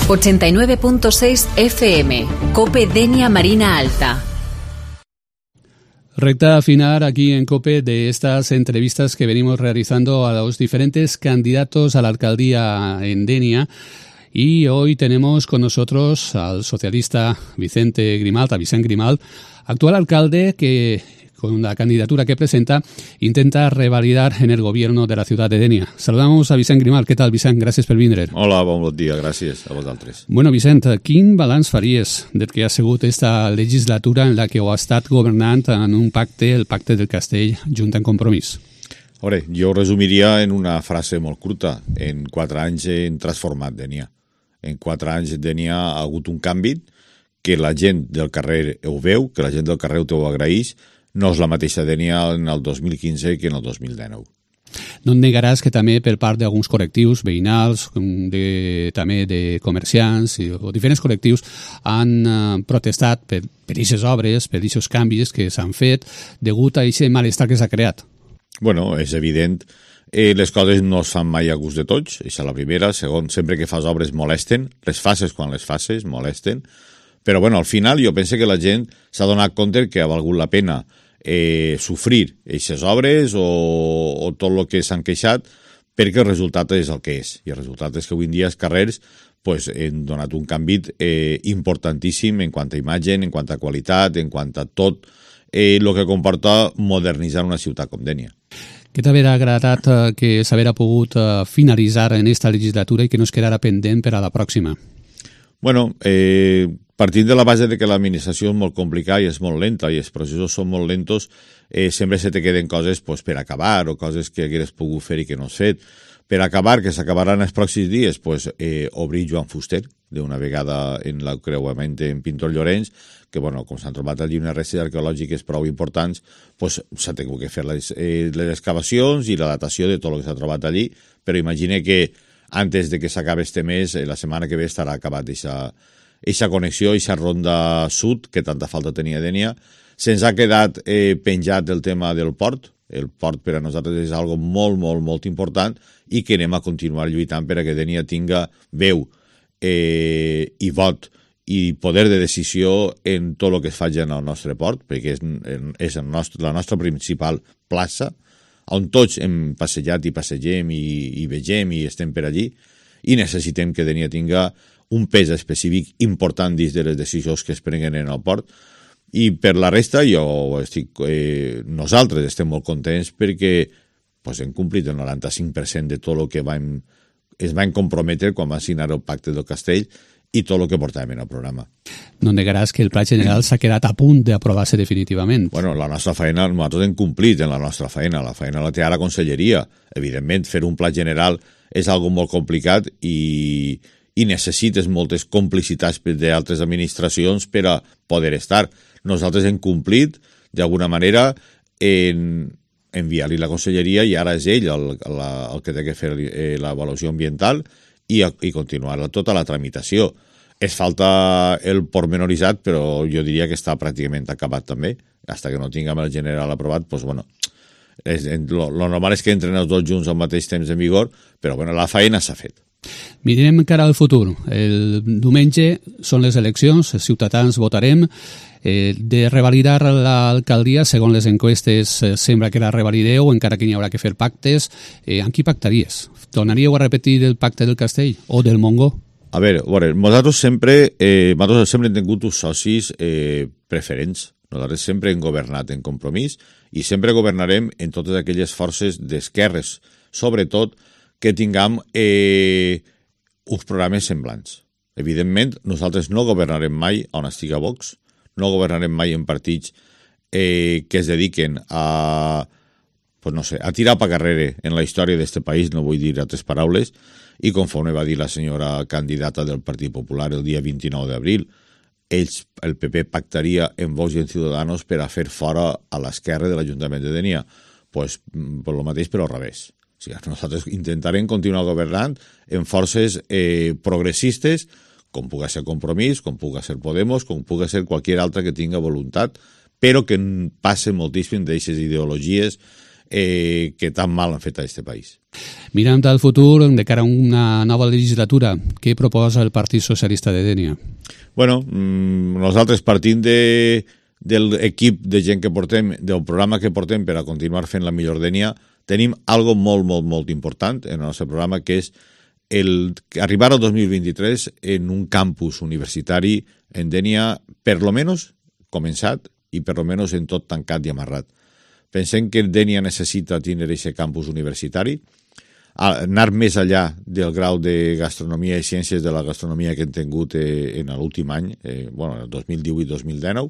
89.6 FM, COPE Denia Marina Alta. Recta final aquí en COPE de estas entrevistas que venimos realizando a los diferentes candidatos a la alcaldía en Denia. Y hoy tenemos con nosotros al socialista Vicente Grimalt, a Vicent Grimalt, actual alcalde que con la candidatura que presenta intenta revalidar en el gobierno de la ciutat de Denia. Saludamos a Vicent Grimalt. Què tal, Vicent? Gràcies per vindre. Hola, bon dia. Gràcies a vosaltres. Bueno, Vicent, quin balanç faries del que ha sigut esta legislatura en la que heu estat governant en un pacte, el Pacte del Castell, junt en Compromís? A veure, jo ho resumiria en una frase molt curta. En 4 anys hem transformat Denia. En 4 anys Denia ha hagut un canvi que la gent del carrer ho veu, que la gent del carrer ho agraeix. No és la mateixa Denia en el 2015 que en el 2019. No et negaràs que també per part d'alguns col·lectius veïnals, també de comerciants o diferents col·lectius han protestat per aquestes obres, per aquests canvis que s'han fet degut a aquest malestar que s'ha creat. Bueno, és evident. Les coses no es fan mai a gust de tots, això és la primera. Segon, sempre que fas obres molesten. Les fases quan les fases molesten. Però bueno, al final jo penso que la gent s'ha donat compte que ha valgut la pena sofrir aquestes obres o tot el que s'han queixat, perquè el resultat és el que és. I el resultat és que avui en dia els carrers han donat un canvi importantíssim en quant a imatge, en quant a qualitat, en quant a tot el que comporta modernitzar una ciutat com Denia. Què t'haurà agradat que s'haguera pogut finalitzar en esta legislatura i que no es quedara pendent per a la pròxima? Bueno, partint de la base de que l'administració és molt complicada i és molt lenta i els processos són molt lentos, sempre se te queden coses per acabar o coses que hagueres pogut fer i que no has fet. Per acabar, que s'acabaran els pròxims dies, obrir Joan Fuster d'una vegada en l'encreuament en Pintor Llorenç, que com s'han trobat allí unes restes arqueològiques prou importants, s'ha tingut que fer les excavacions i la datació de tot el que s'ha trobat allí, però imagine que antes de que s'acabi este mes, la setmana que ve estarà acabat aquesta connexió, aquesta ronda sud, que tanta falta tenia Denia. Se'ns ha quedat penjat el tema del port. El port per a nosaltres és algo molt, molt, molt important i que anem a continuar lluitant per a que Denia tinga veu i vot i poder de decisió en tot el que es faci en el nostre port, perquè és la nostra principal plaça, on tots hem passejat i passegem i vegem i estem per allí, i necessitem que Denia tinga un pes específic important dins de les decisions que es prenguen en el port. I per la resta, nosaltres estem molt contents perquè hem complit el 95% de tot el que es van comprometre quan van signar el Pacte del Castell i tot el que portàvem en el programa. No negaràs que el Pla General s'ha quedat a punt d'aprovar-se definitivament. Bueno, la nostra feina, nosaltres hem complit en la nostra feina. La feina la té a la Conselleria. Evidentment, fer un Pla General és algo molt complicat i necessites moltes complicitats d'altres administracions per a poder estar. Nosaltres hem complit, d'alguna manera, en enviar-li la Conselleria i ara és ell el que té que fer l'avaluació ambiental i continuar tota la tramitació. Es falta el pormenoritzat, però jo diria que està pràcticament acabat també. Fins que no tinguem el general aprovat, lo normal és que entren els dos junts al mateix temps en vigor, però la feina s'ha fet. Mirem cara al futur. El diumenge són les eleccions, els ciutadans votarem. De revalidar l'alcaldia, segons les enquestes, sembla que la revalideu, encara que n'hi haurà que fer pactes. Amb qui pactaries? Tornaríeu a repetir el Pacte del Castell o del Montgó? A veure, nosaltres sempre hem tingut uns socis preferents. Nosaltres sempre hem governat en Compromís i sempre governarem en totes aquelles forces d'esquerres, sobretot que tinguem uns programes semblants. Evidentment, nosaltres no governarem mai on estiga Vox, no governarem mai en partits que es dediquen a tirar pa carrere en la història d'este país, no vull dir altres paraules, i conforme va dir la senyora candidata del Partit Popular el dia 29 d'abril, el PP pactaria en Vox i en Ciudadanos per a fer fora a l'esquerra de l'Ajuntament de Denia. Pues el mateix, però al revés. O sigui, nosaltres intentarem continuar governant en forces progressistes, com pugui ser Compromís, com pugui ser Podemos, com pugui ser qualsevol altra que tinga voluntat, però que passe moltíssim d'aquestes ideologies que tan mal han fet a aquest país. Mirant al futur, de cara a una nova legislatura, què proposa el Partit Socialista de Dénia? Bueno, nosaltres partim de l'equip de gent que portem, del programa que portem per a continuar fent la millor Dénia, tenim algo molt, molt, molt important en el nostre programa, que és arribar al 2023 en un campus universitari en Dénia, per lo menos començat i per lo menos en tot tancat i amarrat. Pensem que Dénia necessita tindre aquest campus universitari, anar més enllà del grau de gastronomia i ciències de la gastronomia que hem tingut en l'últim any, el 2018-2019,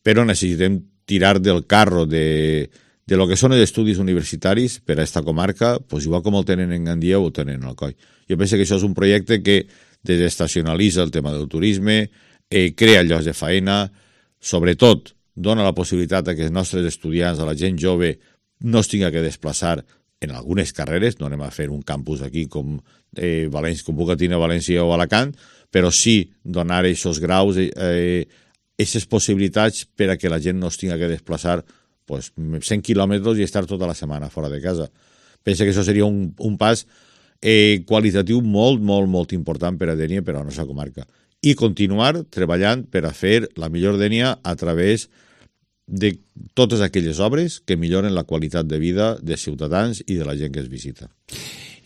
però necessitem tirar del carro de lo que són els estudis universitaris per a aquesta comarca, igual com el tenen en Gandia o el tenen en Alcoi. Jo penso que això és un projecte que desestacionalitza el tema del turisme, crea llocs de faena, sobretot dona la possibilitat que els nostres estudiants, a la gent jove, no es tinga que desplaçar en algunes carreres, no anem a fer un campus aquí com puc tenir a València o Alacant, però sí donar aquests graus, aquestes possibilitats per a que la gent no es tinga que desplaçar 100 quilòmetres i estar tota la setmana fora de casa. Penso que això seria un pas qualitatiu molt, molt, molt important per a Dénia, per a la nostra comarca. I continuar treballant per a fer la millor Dénia a través de totes aquelles obres que milloren la qualitat de vida dels ciutadans i de la gent que es visita.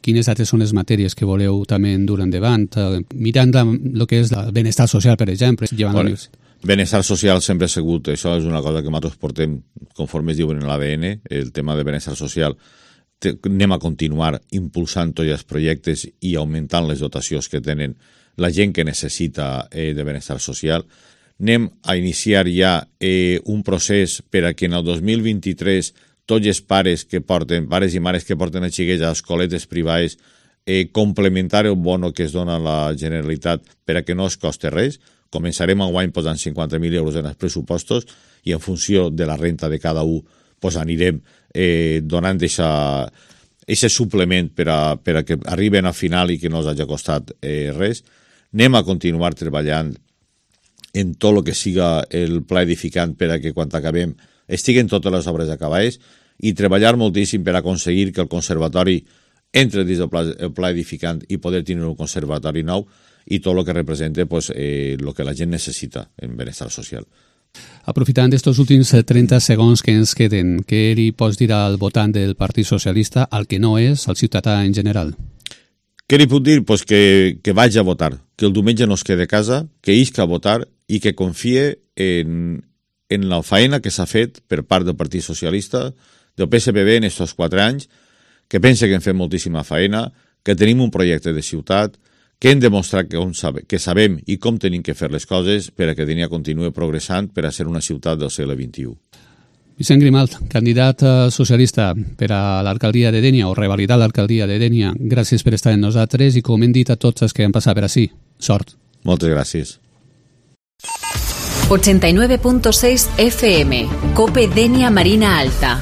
Quines altres són les matèries que voleu també dur endavant? Mirant el que és el benestar social, per exemple. Benestar social sempre ha sigut, això és una cosa que nosaltres portem, conforme es diuen en l'ADN, el tema de benestar social. Anem a continuar impulsant tots els projectes i augmentant les dotacions que tenen la gent que necessita de benestar social. Anem a iniciar ja un procés per a que en el 2023 tots els pares i mares que porten a xiquets a escoletes privades complementar el bono que es dona a la Generalitat per a que no es costi res. Començarem enguany posant 50.000 euros en els pressupostos i en funció de la renta de cada un anirem donant aquest suplement per a que arriben al final i que no els hagi costat res. Anem a continuar treballant en tot el que siga el pla edificant per a que quan acabem estiguen totes les obres acabades i treballar moltíssim per aconseguir que el conservatori entre dins del pla edificant i poder tenir un conservatori nou i tot el que representa el que la gent necessita en benestar social. Aprofitant d'aquests últims 30 segons que ens queden, què li pots dir al votant del Partit Socialista, al que no és, al ciutadà en general? Què li puc dir? Que vagi a votar, que el diumenge no es quede a casa, que isca a votar i que confie en la feina que s'ha fet per part del Partit Socialista, del PSPB en aquests 4 anys, que pensa que hem fet moltíssima feina, que tenim un projecte de ciutat, que hem demostrat que sabem i com tenim que fer les coses per a que Dénia continuï progressant per a ser una ciutat del segle XXI. Vicent Grimalt, candidat socialista per a l'alcaldia de Dénia o revalidar l'alcaldia de Dénia, gràcies per estar amb nosaltres i com hem dit a tots els que han passat per ací, sort. Moltes gràcies. 89.6 FM, COPE Dénia Marina Alta.